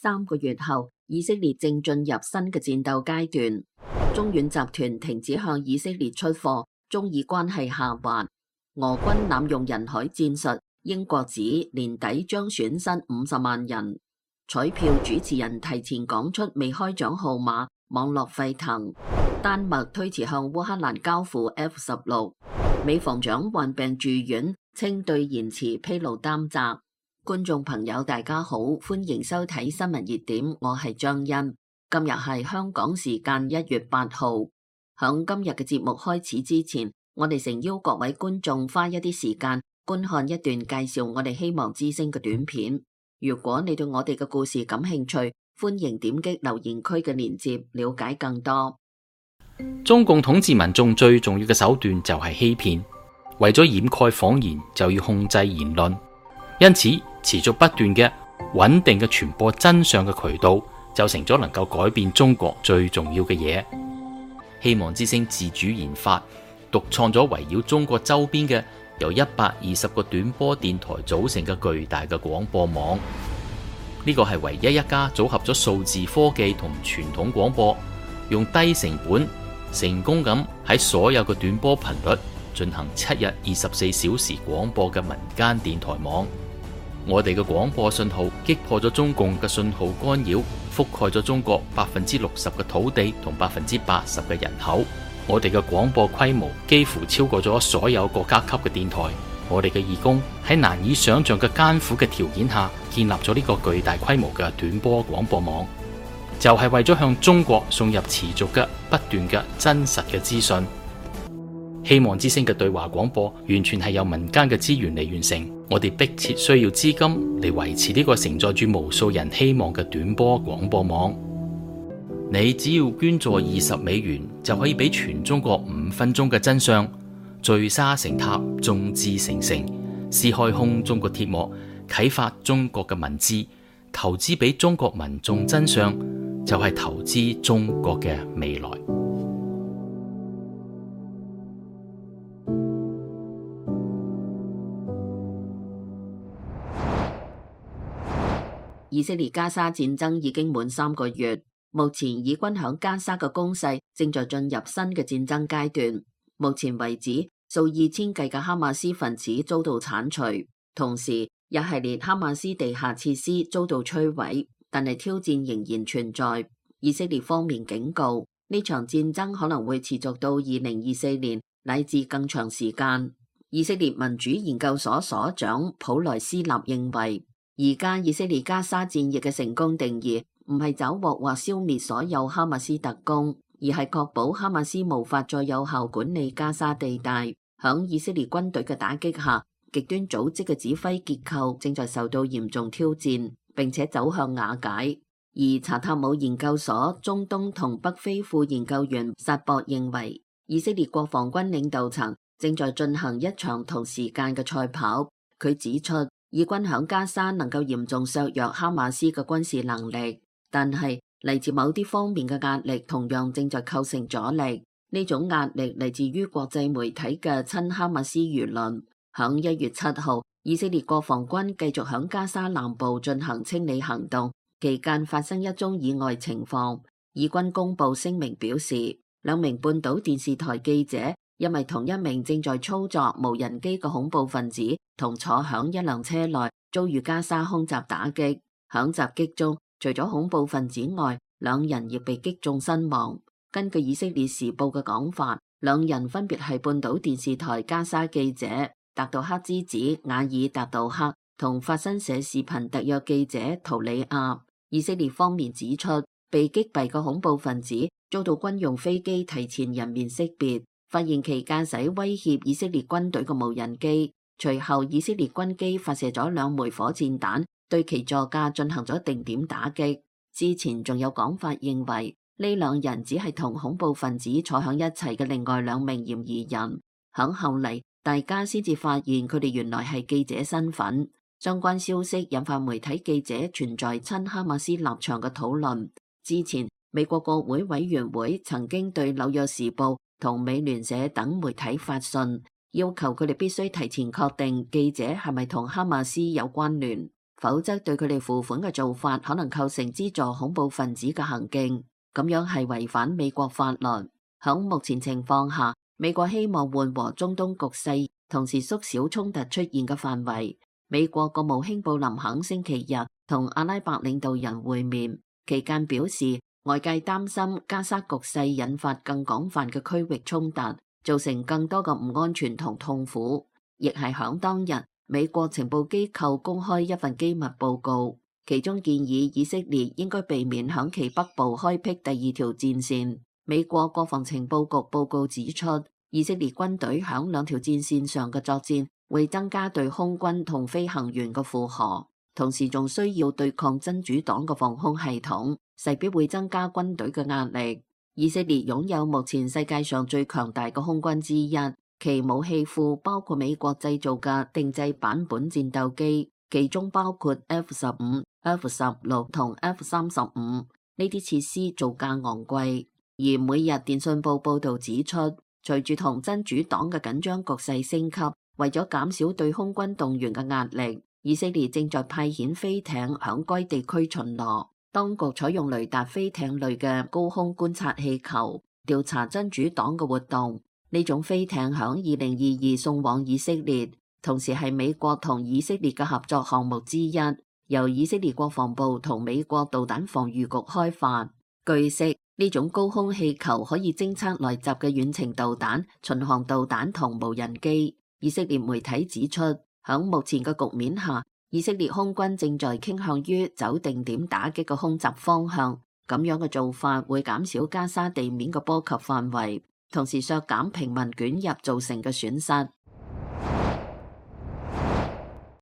3個月後，以色列正進入新嘅戰鬥階段。中遠集團停止向以色列出貨，中以關係下滑。俄軍濫用人海戰術，英國指年底將損失50萬人。彩票主持人提前講出未開獎號碼，網絡沸騰。丹麥推遲向烏克蘭交付 F-16。美防長患病住院，稱對延遲披露擔責。觀眾朋友大家好，歡迎收睇新聞熱點，我係張欣。今日係香港時間1月8號。響今日嘅節目開始之前，我哋誠邀各位觀眾花一啲時間觀看一段介紹我哋希望之聲嘅短片。如果你對我哋嘅故事感興趣，歡迎點擊留言區嘅鏈接了解更多。中共統治民眾最重要嘅手段就係欺騙，為咗掩蓋謊言就要控制言論，因此持續不斷嘅穩定嘅傳播真相嘅渠道就成咗能夠改變中國最重要嘅嘢。希望之聲自主研發獨創咗圍繞中國周邊嘅由120個短波電台組成嘅巨大嘅廣播網，呢個係唯一一家組合咗數字科技同傳統廣播，用低成本成功咁喺所有嘅短波頻率進行7日24小時廣播嘅民間電台網。我哋嘅廣播信號擊破咗中共嘅信號干擾，覆蓋咗中國60%嘅土地同80%嘅人口。我哋嘅廣播規模幾乎超過咗所有國家級嘅電台。我哋嘅義工喺難以想象嘅艱苦嘅條件下建立咗呢個巨大規模嘅短波廣播網，就係為咗向中國送入持續嘅不斷嘅真實嘅資訊。希望之聲嘅對話廣播完全係由民間嘅資源嚟完成，我哋迫切需要資金嚟維持呢個承載住無數人希望嘅短波廣播網。你只要捐助20美元，就可以俾全中國5分鐘嘅真相，聚沙成塔，眾志成城，撕開空中國鐵幕，啟發中國嘅文字，投資俾中國民眾真相，就係投資中國嘅未來。以色列加沙戰爭已經滿3個月，目前以軍響加沙嘅攻勢正在進入新嘅戰爭階段。目前為止，數以千計嘅哈馬斯分子遭到鏟除，同時一系列哈馬斯地下設施遭到摧毀，但係挑戰仍然存在。以色列方面警告，呢場戰爭可能會持續到2024年乃至更長時間。以色列民主研究所所長普萊斯納認為，而家以色列加沙戰役嘅成功定義唔係抓獲或消滅所有哈馬斯特工，而係確保哈馬斯無法再有效管理加沙地帶。響以色列軍隊嘅打擊下，極端組織嘅指揮結構正在受到嚴重挑戰，並且走向瓦解。而查塔姆研究所中東同北非副研究員薩博認為，以色列國防軍領導層正在進行一場同時間嘅賽跑。佢指出，以軍響加沙能夠嚴重削弱哈馬斯嘅軍事能力，但係嚟自某啲方面嘅壓力同樣正在構成阻力。呢種壓力嚟自於國際媒體嘅親哈馬斯輿論。響1月7號，以色列國防軍繼續響加沙南部進行清理行動，期間發生一宗意外情況。以軍公布聲明表示，2名半島電視台記者因為同一名正在操作無人機嘅恐怖分子同坐響一輛車內遭遇加沙空襲打擊。響襲擊中，除咗恐怖分子外，2人亦被擊中身亡。根據以色列時報嘅講法，2人分別係半島電視台加沙記者達杜克之子瓦爾達杜克同法新社視頻特約記者圖里亞。以色列方面指出，被擊斃嘅恐怖分子遭到軍用飛機提前人面識別，發現其駕駛威脅以色列軍隊嘅無人機。隨後以色列軍機發射咗2枚火箭彈，對其座駕進行咗定點打擊。之前仲有講法認為呢2人只係同恐怖分子坐響一齊嘅另外2名嫌疑人。響後嚟，大家先至發現佢哋原來係記者身份。相關消息引發媒體記者存在親哈馬斯立場嘅討論。之前美國國會委員會曾經對紐約時報同美聯社等媒體發信，要求佢哋必須提前確定記者係咪同哈馬斯有關聯，否則對佢哋付款嘅做法可能構成資助恐怖分子嘅行徑，咁樣係違反美國法律。響目前情況下，美國希望緩和中東局勢，同時縮小衝突出現嘅範圍。美國國務卿布林肯星期日同阿拉伯領導人會面期間表示，外界擔心加沙局勢引發更廣泛嘅區域衝突，造成更多嘅唔安全同痛苦。亦係響當日，美國情報機構公開一份機密報告，其中建議以色列應該避免響其北部開闢第二條戰線。美國國防情報局報告指出，以色列軍隊響兩條戰線上嘅作戰會增加對空軍同飛行員嘅負荷，同時仲需要對抗真主黨嘅防空系統，勢必會增加軍隊嘅壓力。以色列擁有目前世界上最強大嘅空軍之一，其武器庫包括美國製造嘅定製版本戰鬥機，其中包括 F-15、F-16同 F-35，呢啲設施造價昂貴。而每日電訊報報導指出，隨住同真主黨嘅緊張局勢升級，為咗減少對空軍動員嘅壓力，以色列正在派遣飛艇響該地區巡邏。當局採用雷達飛艇類嘅高空觀察氣球，調查真主黨嘅活動。呢種飛艇響2022送往以色列，同時係美國同以色列嘅合作項目之一，由以色列國防部同美國導彈防禦局開發。據悉，呢種高空氣球可以偵測來襲嘅遠程導彈、巡航導彈同無人機。以色列媒體指出，響目前嘅局面下，以色列空軍正在傾向於走定點打擊嘅空襲方向。咁樣嘅做法會減少加沙地面嘅波及範圍，同時削減平民捲入造成嘅損失。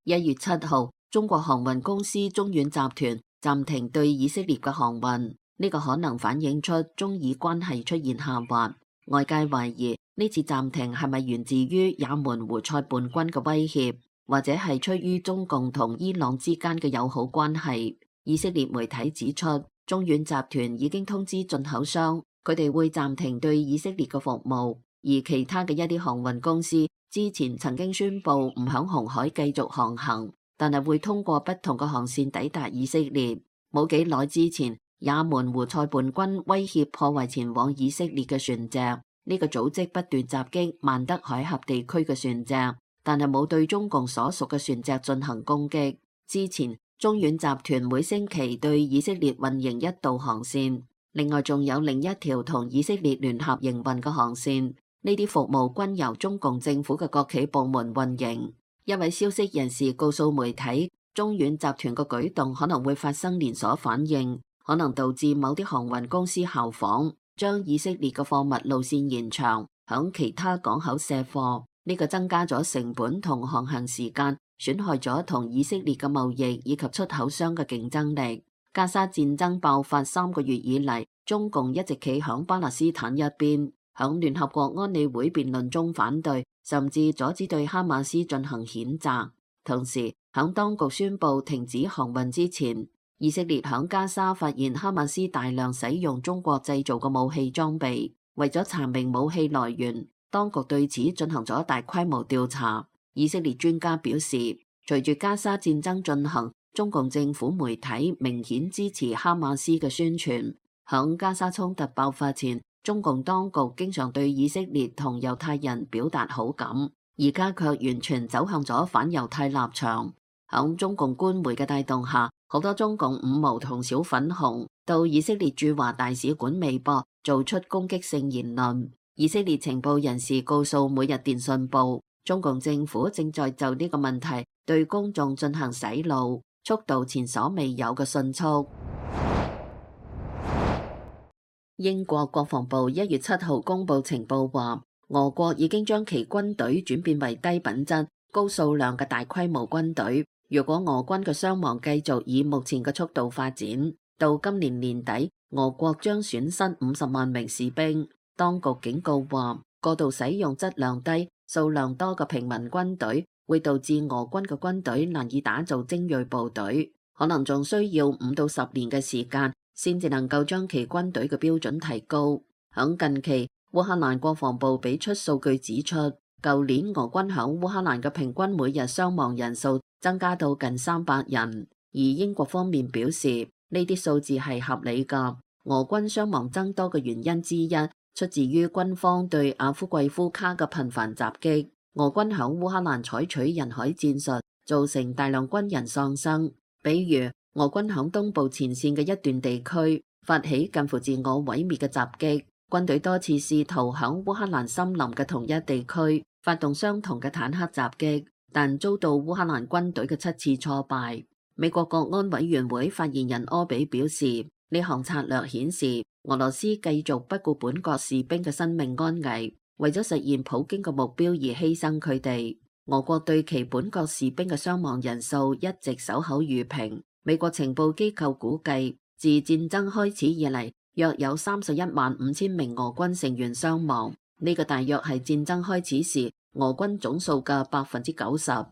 1月7號，中國航運公司中遠集團暫停對以色列嘅航運。呢個可能反映出中以關係出現下滑，外界懷疑呢次暫停係咪源自於也門胡塞叛軍嘅威脅，或者係出於中共同伊朗之間嘅友好關係。以色列媒體指出，中遠集團已經通知進口商，佢哋會暫停對以色列嘅服務，而其他嘅一啲航運公司之前曾經宣布唔響紅海繼續航行，但係會通過不同嘅航線抵達以色列。冇幾耐之前，也門胡塞叛軍威脅破壞前往以色列嘅船隻，呢個組織不斷襲擊曼德海峽地區嘅船隻，但係冇對中共所屬嘅船隻進行攻擊。之前中遠集團每星期對以色列運營一道航線，另外仲有另一條同以色列聯合營運嘅航線，呢啲服務均由中共政府嘅國企部門運營。一位消息人士告訴媒體，中遠集團嘅舉動可能會發生連鎖反應，可能導致某啲航運公司效仿，將以色列嘅貨物路線延長，響其他港口卸貨。呢個增加咗成本同航行時間，損害咗同以色列嘅貿易以及出口商嘅競爭力。加沙戰爭爆發3個月以嚟，中共一直企響巴勒斯坦一邊，響聯合國安理會辯論中反對，甚至阻止對哈馬斯進行譴責。同時，響當局宣布停止航運之前，以色列響加沙發現哈馬斯大量使用中國製造嘅武器裝備，為咗查明武器來源，當局對此進行咗大規模調查。以色列專家表示，隨住加沙戰爭進行，中共政府媒體明顯支持哈馬斯嘅宣傳。響加沙衝突爆發前，中共當局經常對以色列同猶太人表達好感，而家卻完全走向咗反猶太立場。響中共官媒嘅帶動下，好多中共五毛同小粉紅到以色列駐華大使館微博做出攻擊性言論。以色列情報人士告訴每日電訊報，中共政府正在就呢個問題對公眾進行洗腦，速度前所未有嘅迅速。英國國防部1月7號公布情報話，俄國已經將其軍隊轉變為低品質、高數量嘅大規模軍隊。如果俄軍嘅傷亡繼續以目前嘅速度發展，到今年年底，俄國將損失50萬名士兵。當局警告話，過度使用質量低、數量多嘅平民軍隊，會導致俄軍嘅軍隊難以打造精銳部隊，可能仲需要5到10年嘅時間，先至能夠將其軍隊嘅標準提高。響近期，烏克蘭國防部俾出數據指出，舊年俄軍響烏克蘭嘅平均每日傷亡人數增加到近300人，而英國方面表示呢啲數字係合理㗎。俄軍傷亡增多嘅原因之一，出自於軍方對阿夫季夫卡嘅頻繁襲擊。俄軍響烏克蘭採取人海戰術，造成大量軍人喪生。比如俄軍響東部前線嘅一段地區發起近乎自我毀滅嘅襲擊，軍隊多次試圖響烏克蘭森林嘅同一地區發動相同嘅坦克襲擊，但遭到烏克蘭軍隊嘅7次挫敗。美國國安委員會發言人柯比表示，呢項策略顯示俄羅斯繼續不顧本國士兵嘅生命安危，為咗實現普京嘅目標而犧牲佢哋。俄國對其本國士兵嘅傷亡人數一直守口如瓶。美國情報機構估計，自戰爭開始以嚟，約有315000名俄軍成員傷亡，呢個大約係戰爭開始時俄軍總數嘅90%。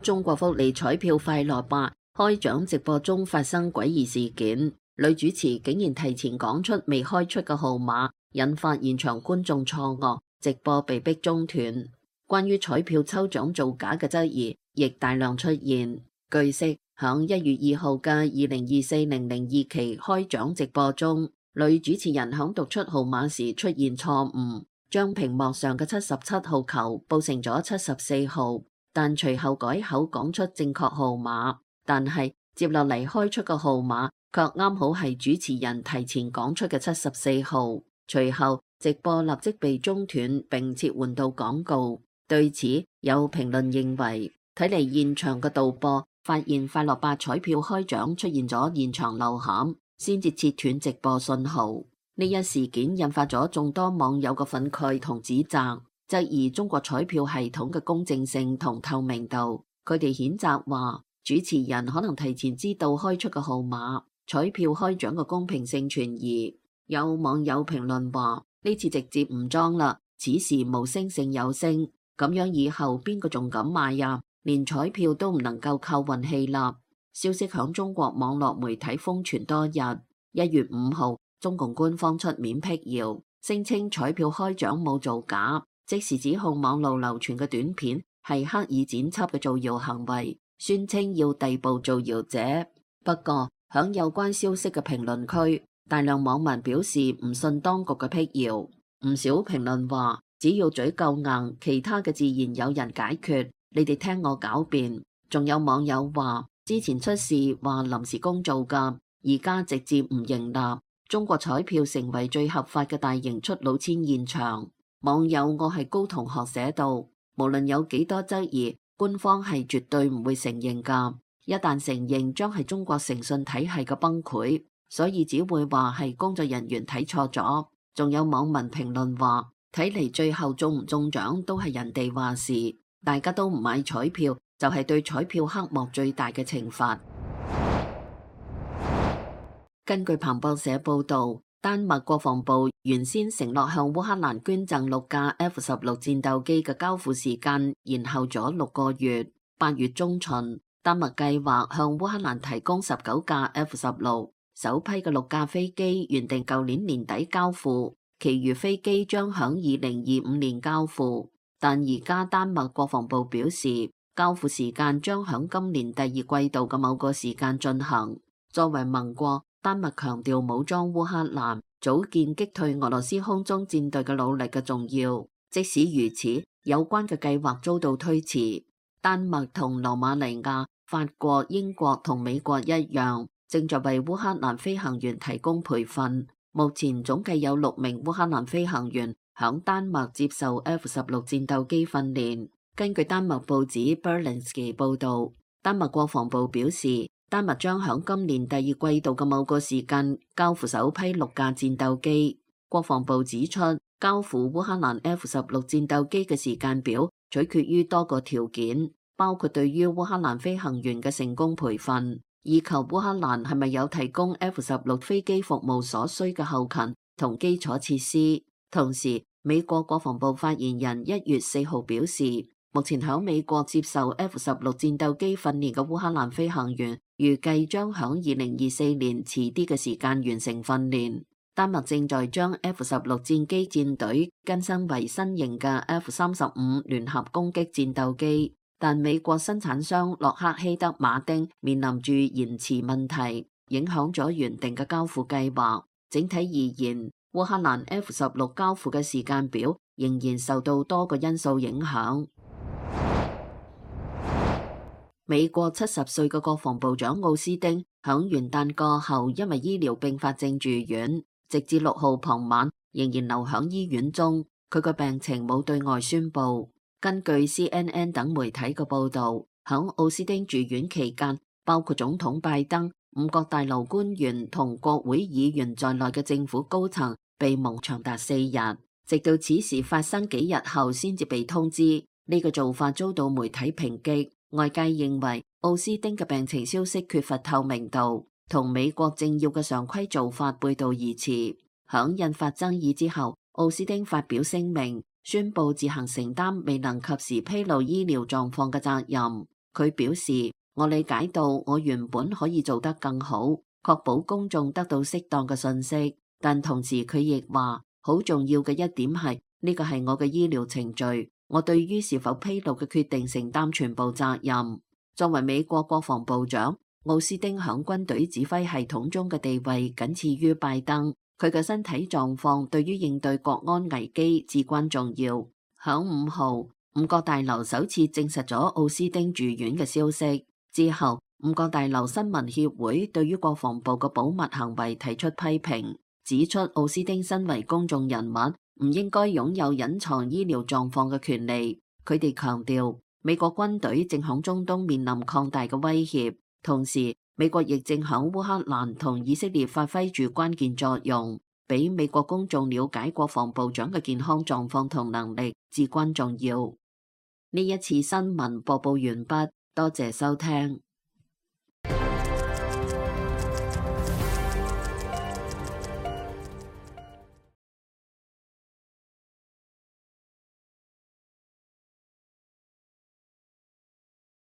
中國福利彩票快樂吧開獎直播中發生詭異事件，女主持竟然提前講出未開出嘅號碼，引發現場觀眾錯愕，直播被迫中斷。關於彩票抽獎造假嘅質疑亦大量出現。據悉，響1月2號嘅2024-002期開獎直播中，女主持人響讀出號碼時出現錯誤，將屏幕上嘅77號球報成咗74號，但隨後改口講出正確號碼，但係接落嚟開出嘅號碼卻啱好係主持人提前講出嘅74號。隨後直播立即被中斷並切換到廣告。對此，有評論認為，睇嚟現場嘅導播發現快樂吧彩票開獎出現咗現場漏陷，先至切斷直播信號。呢一事件引發咗眾多網友嘅憤慨同指責，質疑中國彩票系統嘅公正性同透明度。佢哋譴責話，主持人可能提前知道開出嘅號碼，彩票開獎嘅公平性存疑。有網友評論話，呢次直接唔裝啦，此時無聲勝有聲，咁樣以後邊個仲敢買呀？連彩票都唔能夠靠運氣啦。消息響中國網絡媒體瘋傳多日。1月5號，中共官方出面辟謠，聲稱彩票開獎冇造假，即時指控網路流傳嘅短片係刻意剪輯嘅造謠行為，宣稱要逮捕造謠者。不過響有關消息嘅評論區，大量網民表示唔信當局嘅辟謠。唔少評論話，只要嘴夠硬，其他嘅自然有人解決。你哋聽我狡辯。仲有網友話，之前出事話臨時工做㗎，而家直接唔認納。中國彩票成為最合法嘅大型出老千現場。網友我係高同學寫道，無論有幾多質疑，官方係絕對唔會承認㗎。一旦承認，將係中國誠信體系嘅崩潰，所以只會話係工作人員睇錯咗。仲有網民評論話，睇嚟最後中唔中獎都係人哋話事，大家都唔買彩票，就係對彩票黑幕最大嘅懲罰。根據彭博社報導，丹麥國防部原先承諾向烏克蘭捐贈6架 F-16戰鬥機嘅交付時間延後咗6個月。8月中旬，丹麥計劃向烏克蘭提供19架 F-16，首批嘅6架飛機原定舊年年底交付，其餘飛機將響2025年交付。但而家丹麥國防部表示，交付時間將響今年第2季度嘅某個時間進行。作為盟國，丹麥強調武裝烏克蘭、組建擊退俄羅斯空中戰隊嘅努力嘅重要。即使如此，有關嘅計劃遭到推遲。丹麥同羅馬尼亞、法國、英國同美國一樣，正在為烏克蘭飛行員提供培訓。目前總計有6名烏克蘭飛行員響丹麥接受 F-16戰鬥機訓練。根據丹麥報紙 Berlingske 報導，丹麥國防部表示，丹麥將響今年第2季度嘅某個時間交付首批6架戰鬥機。國防部指出，交付烏克蘭 F-16戰鬥機嘅時間表取決於多個條件，包括對於烏克蘭飛行員嘅成功培訓，以及烏克蘭係咪有提供 F-16飛機服務所需嘅後勤同基礎設施。同時，美國國防部發言人1月4號表示，目前響美國接受 F-16戰鬥機訓練嘅烏克蘭飛行員預計將響2024年遲啲嘅時間完成訓練。丹麥正在將 F-16戰機戰隊更新為新型嘅 F-35聯合攻擊戰鬥機，但美國生產商洛克希德馬丁面臨住延遲問題，影響咗原定嘅交付計劃。整體而言，烏克蘭 F-16交付嘅時間表仍然受到多個因素影響。美國70歲嘅國防部長奧斯汀響元旦過後因為醫療併發症住院，直至6號傍晚仍然留響醫院中。佢個病情冇對外宣布。根據 CNN 等媒體嘅報道，響奧斯汀住院期間，包括總統拜登、五角大樓官員同國會議員在內嘅政府高層被蒙長達4日，直到此事發生幾日後先至被通知。呢個做法遭到媒體抨擊。外界認為奧斯汀嘅病情消息缺乏透明度，同美國政要嘅常規做法背道而馳。響引發爭議之後，奧斯汀發表聲明，宣布自行承擔未能及時披露醫療狀況嘅責任。佢表示：我理解到我原本可以做得更好，確保公眾得到適當嘅信息，但同時佢亦話，好重要嘅一點係呢個係我嘅醫療程序。我對於是否披露嘅決定承擔全部責任。作為美國國防部長，奧斯汀響軍隊指揮系統中嘅地位僅次於拜登。佢嘅身體狀況對於應對國安危機至關重要。響5號，五角大樓首次證實咗奧斯汀住院嘅消息之後，五角大樓新聞協會對於國防部嘅保密行為提出批評，指出奧斯汀身為公眾人物，唔應該擁有隱藏醫療狀況嘅權利。佢哋強調，美國軍隊正響中東面臨擴大嘅威脅，同時美國亦正響烏克蘭同以色列發揮住關鍵作用，俾美國公眾了解國防部長嘅健康狀況同能力至關重要。呢一次新聞播報完畢，多謝收聽。